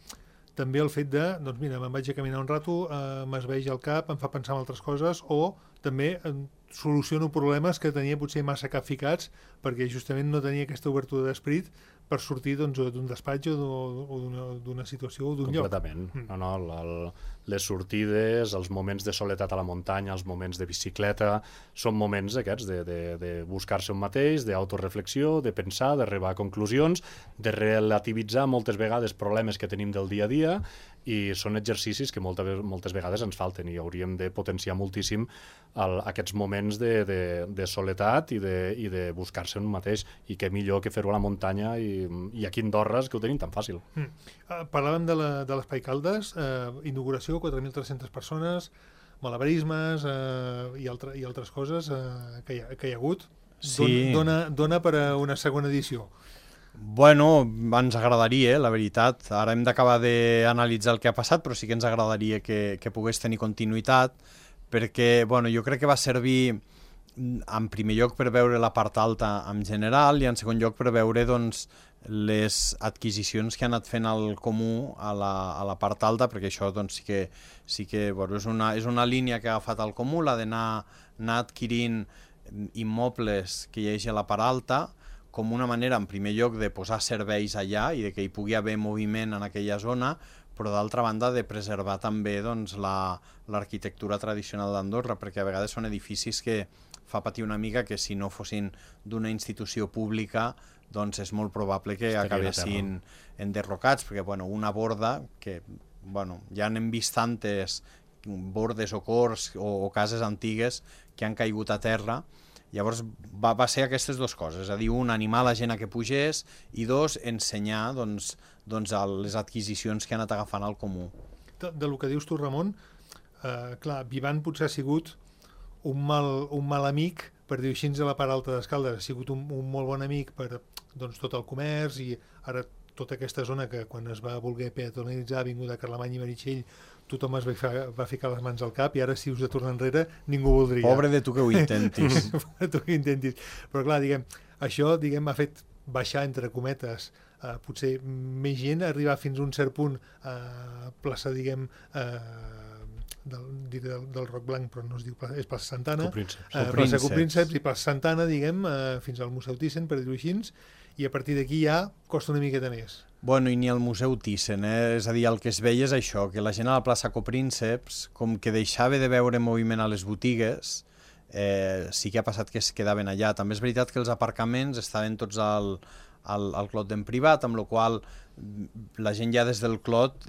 també el fet de, doncs mira, me'n vaig a caminar un rato, m'esveig el cap, em fa pensar en altres coses, o també soluciono problemes que tenia potser massa capficats perquè justament no tenia aquesta obertura d'esperit per sortir d'un despatx o d'una situació o d'un lloc. Completament. Les sortides, els moments de soledat a la muntanya, els moments de bicicleta, són moments aquests de buscar-se un mateix, d'autoreflexió, de pensar, d'arribar a conclusions, de relativitzar moltes vegades problemes que tenim del dia a dia, i són exercicis que moltes vegades ens falten i hauríem de potenciar moltíssim aquests moments de soledat i de buscar-se un mateix, i què millor que fer-ho a la muntanya i aquí a Andorra, que ho tenim tan fàcil. Parlàvem de l'Espai Caldes, inauguració, 4.300 persones, malabarismes i altres coses que hi ha hagut. Sí. Dona per a una segona edició. Bueno, ens agradaria, la veritat. Ara hem d'acabar d'analitzar el que ha passat, però sí que ens agradaria que pogués tenir continuïtat, perquè jo crec que va servir en primer lloc per veure la part alta en general i en segon lloc per veure les adquisicions que ha anat fent el Comú a la part alta, perquè això sí que és una línia que ha agafat el Comú, la d'anar adquirint immobles que hi hagi a la part alta, com una manera, en primer lloc, de posar serveis allà i de que hi pugui haver moviment en aquella zona, però d'altra banda de preservar també doncs, l'arquitectura tradicional d'Andorra, perquè a vegades són edificis que fa patir una mica que si no fossin d'una institució pública doncs és molt probable que acabessin enderrocats, perquè una borda, que ja n'hem vist tantes bordes o cors o cases antigues que han caigut a terra. Llavors va ser aquestes dues coses, és a dir, un, animar la gent a que pugés, i dos, ensenyar les adquisicions que han anat agafant al comú. Del que dius tu, Ramon, clar, Vivant potser ha sigut un mal amic, per dir-ho així, a la part alta d'Escaldes. Ha sigut un molt bon amic per tot el comerç, i ara tota aquesta zona que quan es va voler peatonalitzar, ha vingut a Carlemany i Meritxell, tothom es va ficar les mans al cap, i ara si us de tornar enrere ningú voldria. Pobre de tu que ho intentis. Pobre tu que ho intentis. Però clar, això ha fet baixar, entre cometes, potser més gent, arribar fins a un cert punt a plaça, del Roc Blanc, però no es diu, és plaça Santana, plaça Coprínceps i plaça Santana, fins al Museu Thyssen, per dir-ho així, i a partir d'aquí ja costa una miqueta més. I ni el Museu Thyssen, és a dir, el que es veia és això, que la gent a la plaça Coprínceps, com que deixava de veure moviment a les botigues, sí que ha passat que es quedaven allà. També és veritat que els aparcaments estaven tots al Clot d'en privat, amb la qual la gent ja des del Clot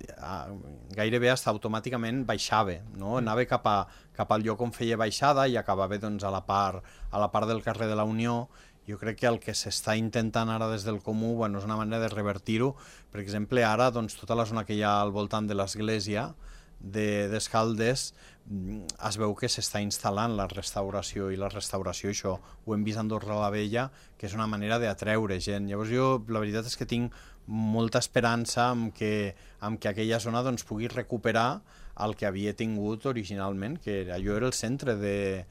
gairebé automàticament baixava, no? Anava cap al lloc on feia baixada i acabava a la part del carrer de la Unió. Jo crec que el que s'està intentant ara des del Comú és una manera de revertir-ho. Per exemple, ara tota la zona que hi ha al voltant de l'església d'Escaldes es veu que s'està instal·lant la restauració, i la restauració, això ho hem vist a Andorra la Vella, que és una manera d'atreure gent. Llavors jo la veritat és que tinc molta esperança en que aquella zona pugui recuperar el que havia tingut originalment, que allò era el centre de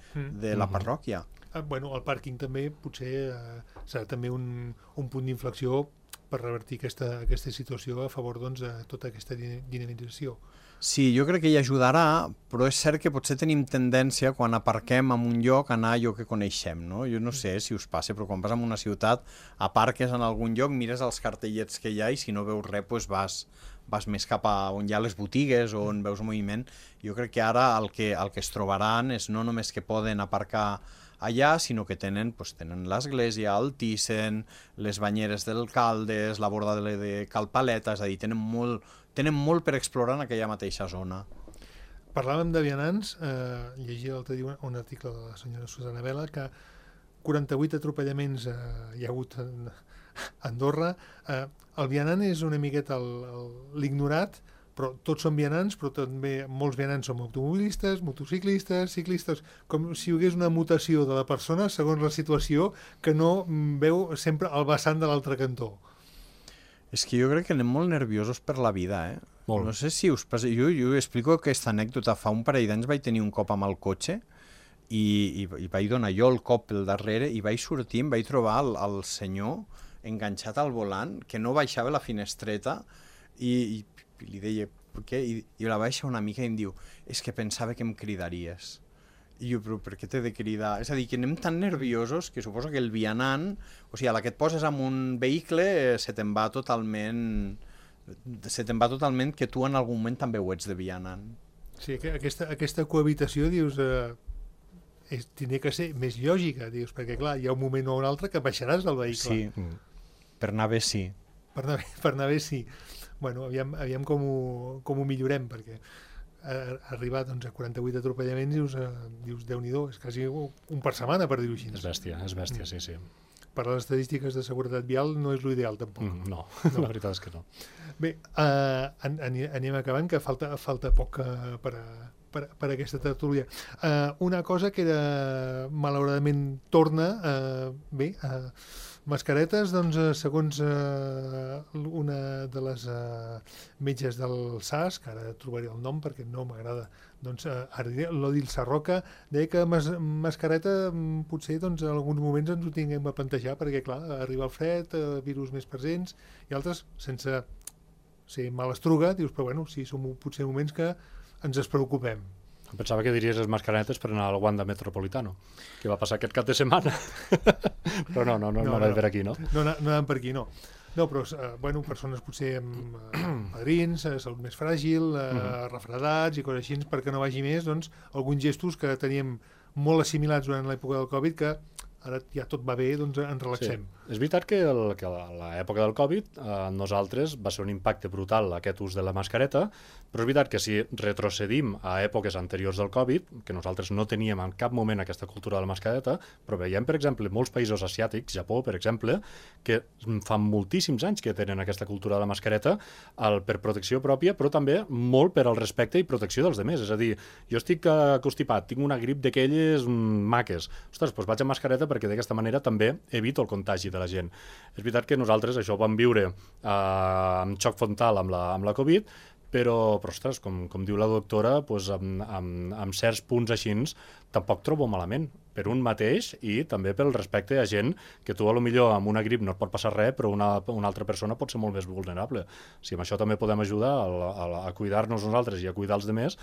la parròquia. El pàrquing també potser serà també un punt d'inflexió per revertir aquesta situació a favor de tota aquesta dinamització. Sí, jo crec que hi ajudarà, però és cert que potser tenim tendència, quan aparquem en un lloc, a anar a allò que coneixem, no? Jo no sé si us passa, però quan vas a una ciutat, aparques en algun lloc, mires els cartellets que hi ha, i si no veus res, vas més cap a on hi ha les botigues o on veus moviment. Jo crec que ara el que es trobaran és no només que poden aparcar allà, sinó que tenen l'església, el Thyssen, les banyeres del Caldes, la borda de Cal Paleta, és a dir, tenen molt per explorar en aquella mateixa zona. Parlàvem de vianants, llegia l'altre dia un article de la senyora Susana Vela, que 48 atropellaments hi ha hagut a Andorra. El vianant és una miqueta l'ignorat, però tots són vianants, però també molts vianants som automobilistes, motociclistes, ciclistes, com si hi hagués una mutació de la persona segons la situació, que no veu sempre el vessant de l'altre cantó. És que jo crec que anem molt nerviosos per la vida, Molt. No sé si us passa... Jo explico aquesta anècdota. Fa un parell d'anys vaig tenir un cop amb el cotxe i vaig donar jo el cop pel darrere i vaig sortir, em vaig trobar el senyor enganxat al volant, que no baixava la finestreta, i li deia, per què? I la baixa una mica i em diu, és que pensava que em cridaries. I jo, però per què t'he de cridar? És a dir, que anem tan nerviosos que suposo que el vianant, o sigui, a la que et poses en un vehicle se te'n va totalment que tu en algun moment també ho ets de vianant. Sí, aquesta cohabitació, dius, tindria que ser més lògica, dius, perquè clar, hi ha un moment o un altre que baixaràs del vehicle. Sí, per anar bé sí. Per anar bé sí. Bueno, aviam com ho millorem, perquè arribar a 48 atropellaments dius Déu-n'hi-do, és quasi un per setmana, per dir-ho així. És bèstia, sí. Per les estadístiques de seguretat vial no és l'ideal, tampoc. No, la veritat és que no. Bé, anem acabant, que falta poc per aquesta tertúlia. Una cosa que malauradament torna, mascaretes, segons una de les metges del SAS, que ara trobaré el nom perquè no m'agrada, l'Odil Sarroca, deia que mascareta potser en alguns moments ens ho tinguem a plantejar, perquè clar, arriba el fred, virus més presents, i altres sense ser malastruga, dius, però bueno, sí, són potser moments que ens es preocupem. Pensava que diries les mascaretes per anar al Wanda Metropolitano, que va passar aquest cap de setmana. Però no va per aquí, no? No anàvem per aquí, no. No, però, bueno, persones potser amb padrins, salut més fràgil, refredats i coses així, perquè no vagi més, doncs, alguns gestos que teníem molt assimilats durant l'època del Covid, que ara ja tot va bé, doncs ens relaxem. Sí. És veritat que a l'època del Covid nosaltres va ser un impacte brutal aquest ús de la mascareta, però és veritat que si retrocedim a èpoques anteriors del Covid, que nosaltres no teníem en cap moment aquesta cultura de la mascareta, però veiem, per exemple, molts països asiàtics, Japó, per exemple, que fa moltíssims anys que tenen aquesta cultura de la mascareta per protecció pròpia, però també molt per al respecte i protecció dels demés. És a dir, jo estic constipat, tinc una grip d'aquelles maques. Ostres, doncs vaig amb mascareta perquè d'aquesta manera també evito el contagi de la gent. És veritat que nosaltres això ho vam viure amb xoc frontal amb la Covid, però ostres, com diu la doctora, doncs amb certs punts així tampoc trobo malament per un mateix i també pel respecte a gent que tu millor amb una grip no et pot passar res, però una altra persona pot ser molt més vulnerable. Si amb això també podem ajudar a cuidar-nos nosaltres i a cuidar els demés,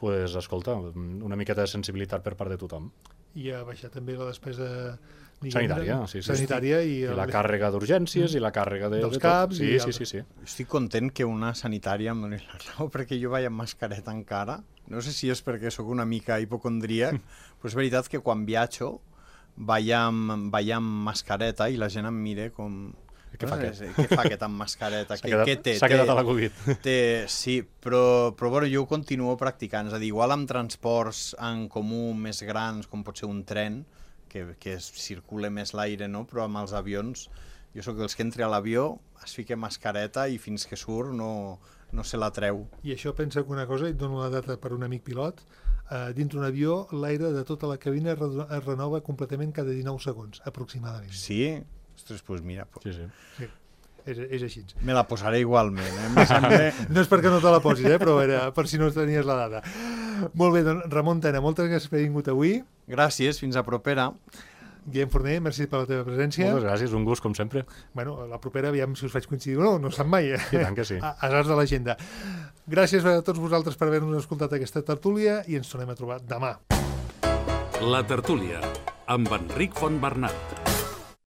doncs, escolta, una miqueta de sensibilitat per part de tothom. I a baixar també la despesa sanitària, sí. Sanitària i la càrrega d'urgències i la càrrega dels CAPs. Sí. Estic content que una sanitària em doni la raó, perquè jo vaig amb mascareta encara. No sé si és perquè sóc una mica hipocondríac, però és veritat que quan viatjo vaig amb mascareta i la gent em mira com... Què fa aquest amb mascareta? Què té? S'ha quedat a la Covid. Sí, però bueno, jo ho continuo practicant. És a dir, igual amb transports en comú més grans, com pot ser un tren, que circula més l'aire, no? Però amb els avions, jo sóc dels que entri a l'avió, es fica mascareta i fins que surt no se la treu. I això pensa que una cosa, i et dono la data per un amic pilot, dintre un avió l'aire de tota la cabina es renova completament cada 19 segons, aproximadament. Sí? Ostres, doncs mira... Sí. És així. Me la posaré igualment, eh? No és perquè no te la posis, però era per si no tenies la data. Molt bé, doncs Ramon Tena, moltes gràcies per haver vingut avui. Gràcies, fins a propera. Guillem Forner, merci per la teva presència. Moltes gràcies, un gust, com sempre. Bueno, la propera, aviam si us faig coincidir o no sap mai. I tant que sí. Asars de l'agenda. Gràcies a tots vosaltres per haver-nos escoltat aquesta tertúlia i ens tornem a trobar demà. La tertúlia, amb Enric Fontbernat.